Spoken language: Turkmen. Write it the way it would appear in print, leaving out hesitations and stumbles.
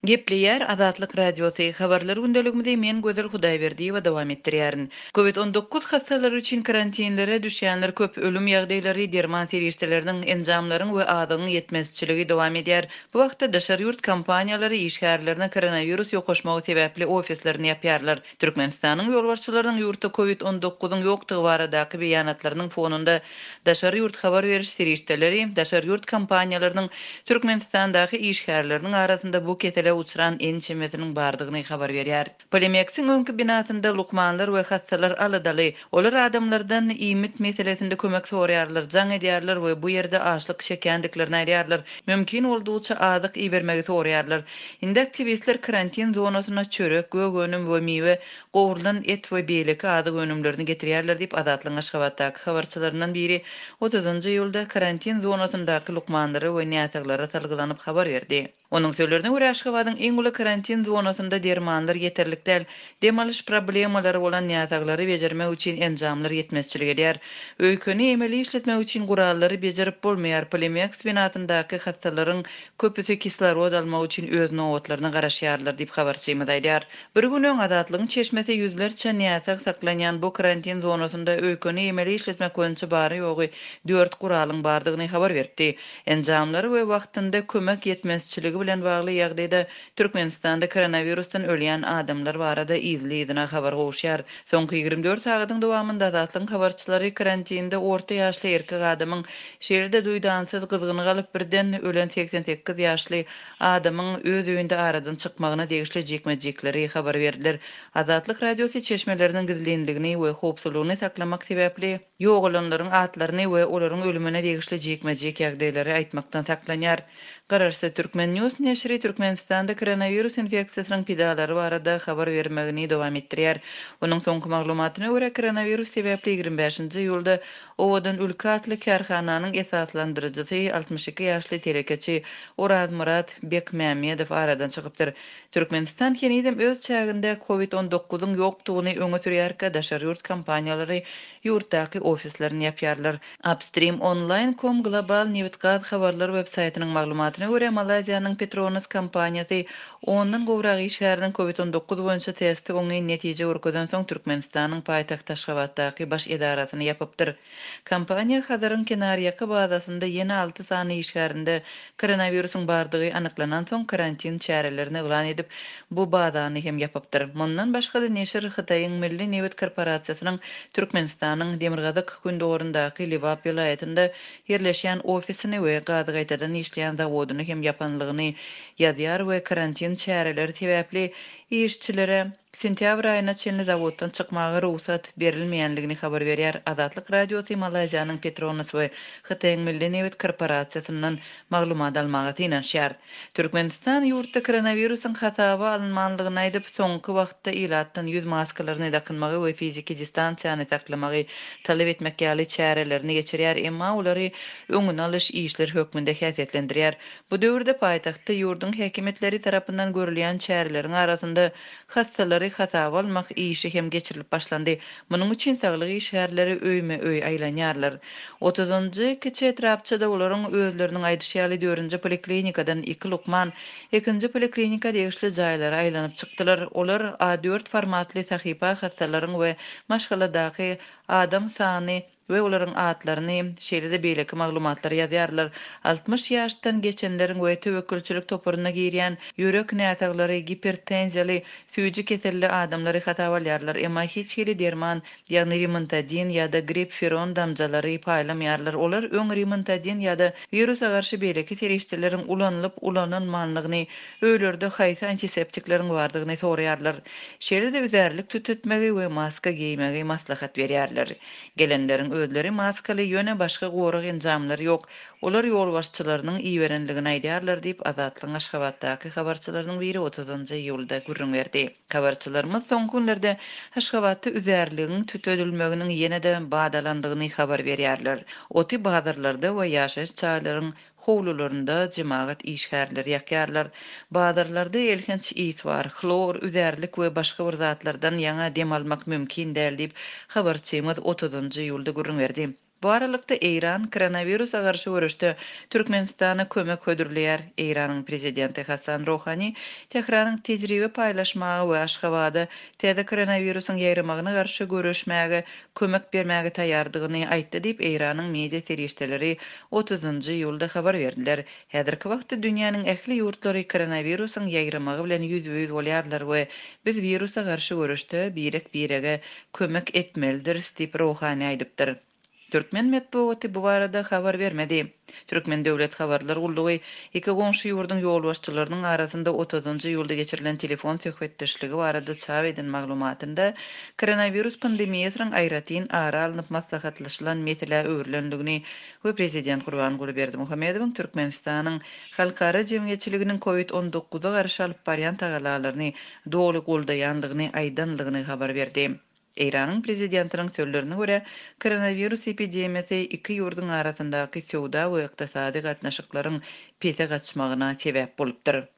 Gepleýär Azatlyk Radiosy, Habarlar gündeligimizi men Gözel Hudaýberdiýewa dowam etdirýärin. Covid 19 hassalary üçin karantinlere düşýänler köp, ölüm ýagdaýlary, derman serişdeleriniň, enjamlaryň we azygyň ýetmezçiligi dowam edýär. Bu wagtda daşary ýurt kompaniýalary işgärlerine koronawirus ýokaşmagy sebäpli ofislerini ýapýarlar. Türkmenistanyň ýolbaşçylarynyň ýurtda Covid 19 yň ýokdugy baradaky beýanatlarynyň fonunda daşary ýurt habar beriş serişdeleri daşary ýurt kompaniýalarynyň Türkmenistandaky işgärleriniň arasynda bu kesele uçran ençemesiniň bardygyny habar berýär. Polimeksiň öňki binasynda lukmanlar we hassalar aladaly. Olar adamlardan iýmit meselesinde kömek soraýarlar, jaň edýärler we bu ýerde açlyk çekýändiklerini aýdýarlar. Mümkin boldugyça azyk ibermegi soraýarlar. Indi aktiwistler karantin zonasyna çörek, gök önüm we miwe, gowrulan et we beýleki azyk önümlerini getirýärler diýip, Azatlygyň Aşgabatdaky habarçylaryndan biri otuzynjy iýulda karantin zonasyndaky lukmanlara we näsaglara salgylanyp habar berdi. Onuň sözlerine görä, Aşgabadyň iň uly karantin zonasynda dermanlar ýeterlik däl, dem alyş problemalary bolan näsaglary bejermek üçin enjamlar ýetmezçilik edýär. Öýkeni emeli işletmek üçin gurallary bejerip bolmaýar, Polimeks binasyndaky hassalaryň köpüsi kislorod almak üçin öz nobatlaryna garaşýarlar diýip, habarçymyz aýdýar. Bir gün öň Azatlygyň çeşmesi ýüzlerçe näsag saklanýan bu karantin zonasynda öýkeni emeli işletmek boýunça bary-ýogy dört guralyň bardygyny habar beripdi. Enjamlar we wagtynda kömek ýetmezçiligi bilen bagly ýagdaýda Türkmenistanda koronawirusdan ölýän adamlar barada yzly-yzyna habar gowuşýar. Soňky 24 sagadyň dowamynda Azatlygyň habarçylary karantinde orta ýaşly erkek adamyň, şeýle-de duýdansyz gyzgyny galyp birden ölen 88 ýaşly adamyň öz öýünde aradan çykmagyna degişli jikme-jikleri habar berdiler. Azatlyk Radiosy çeşmeleriniň gizlinligini we howpsuzlygyny saklamak sebäpli, Ýogalanlaryň atlaryny we olaryň ölümine degişli jikme-jik ýagdaýlary aýtmakdan saklanýar. Garaşsyz Turkmen. News neşiri Türkmenistanda koronawirus infeksiýasynyň pidalary barada habar bermegini dowam etdirýär. Onuň soňky maglumatyna görä, koronawirus sebäpli 25-nji iýulda Owadan ülke atly kärhananyň esaslandyryjysy, 62 ýaşly telekeçi Orazmyrat Bekmämmedow aradan çykypdyr. Türkmenistan henizem öz çäginde Covid 19 yň ýokdugyny öňe sürýärkä daşary ýurt kompaniýalary ýurtdaky ofislerini ýapýarlar. Upstream Online com global nebit-gaz habarlar websaýtynyň maglumatyna görä, Malaýziýanyň Petronas kompaniýasy ondan gowrak işgäriniň Covid 19 boýunça testi oňyn netije görkezensoň Türkmenistanyň paýtagty Aşgabatdaky baş edarasyny ýapypdyr. Kompaniýa Hazaryň kenarýaka bazasynda ýene alty sany işgärinde koronawirusyň bardygy anyklanansoň, karantin çärelerini yglan edip, bu bazany hem ýapypdyr. Mundan başga-da, neşir Hytaýyň Milli nebit korporasiýasynyň Türkmenistanyň demirgazyk-gündogaryndaky Lebap welaýatynda ýerleşýän ofisini we gazy gaýtadan işleýän zawodyny hem ýapanlygyny ýazýar we karantin çäreleri sebäpli işçilere Sentýabr aýyna çenli zawoddan çykmaga rugsat berilmeýänligini habar berýär. Azatlyk Radiosy Malaýziýanyň Petronas we Hytaýyň Milli nebit korporasiýasyndan maglumat almaga synanyşýar. Türkmenistan ýurtda koronawirusyň hasaba alynmanlygyny aýdyp, soňky wagtda ilatdan ýüz maskalaryny dakynmagy we fiziki distansiýany saklamagy talap etmek ýaly çärelerini geçirýär, emma olary öňüni alyş işleri hökmünde häsiýetlendirýär. Bu döwürde paýtagtda ýurduň häkimiýetleri tarapyndan görülýän çäreleriň arasynda hassalary hasaba almak işi hem geçirilip başlandy. Munuň üçin saglyk işgärleri öýme-öý aýlanýarlar. Otuzynjy kiçi etrapçada olaryň özleriniň aýdyşy ýaly dördünji poliklinikadan iki lukman ikinji poliklinika degişli jaýlara aýlanyp çykdylar. Olar A dört formatly sahypa hassalaryň we maşgaladaky adam sany we olaryň atlaryny, şeýle-de beýleki maglumatlary ýazýarlar. 60 ýaşdan geçenleriň we töwekgelçilik toparyna girýän ýürek näsaglary, gipertenziýaly, süýji keselli adamlary hasaba alýarlar, emma hiç hili derman, ýagny rimantadin ýa-da gripferon damjalary paýlamaýarlar. Olar öň rimantadin ýa-da wirusa garşy beýleki serişdeleriň ulanylyp-ulanylmanlygyny, öýlerde haýsy antiseptikleriň bardygyny soraýarlar. Şeýle-de üzärlik tütetmegi we maska geýmegi maslahat berýärler. Gelenleriň özleri maskaly, ýöne başga gorag enjamlary ýok. Olar ýolbaşçylarynyň iberenligini aýdýarlar diýip, Azatlygyň Aşgabatdaky habarçylarynyň biri otuzynjy iýulda gürrüň berdi. Habarçylarymyz soňky günlerde Aşgabatda üzärligiň tütedilmeginiň ýene-de bat alandygyny habar berýärler. Oty bazarlarda we ýaşaýyş jaýlaryň Howlularynda jemagat işgärleri ýakýarlar. Bazarlarda elhenç ys bar. Hlor, üzärlik we başga bir zatlardan ýaňa dem almak mümkin däl diýip, habarçymyz otuzynjy iýulda gürrüň berdi. Bu aralykda, Eýran koronawirusa garşy göreşde Türkmenistana kömek hödürleýär. Eýranyň prezidenti Hassan Rohani Tähranyň tejribe paýlaşmaga we Aşgabada täze koronawirusyň ýaýramagyna garşy göreşmäge kömek bermäge taýýardygyny aýtdy diýip, Eýranyň media serişdeleri otuzynjy iýulda habar berdiler. Häzirki wagtda dünýäniň ähli ýurtlary koronawirusyň ýaýramagy bilen ýüzbe-ýüz bolýarlar we biz wirusa garşy göreşde birek-birege kömek etmelidiris diýip, Rohani aýdypdyr. Türkmen metbugaty bu barada habar bermedi. Türkmen döwlet habarlar gullugy iki goňşy ýurduň ýolbaşçylarynyň arasynda otuzynjy iýulda geçirilen telefon söhbetdeşligi barada çap eden maglumatynda koronawirus pandemiýasynyň aýratyn ara alnyp maslahatlaşylan meselä öwrülendigini we prezident Gurbanguly Berdimuhamedowyň Türkmenistanyň halkara jemgyýetçiliginiň covid on dokuza garşy alyp barýan tagallalaryny doly goldaýandygyny aýdandygyny habar berdi. Eýranyň prezidentiniň sözlerine görä, koronawirus epidemiýasy iki ýurduň arasyndaky söwda we ykdysady gatnaşyklaryň pese gaçmagyna sebäp bolupdyr.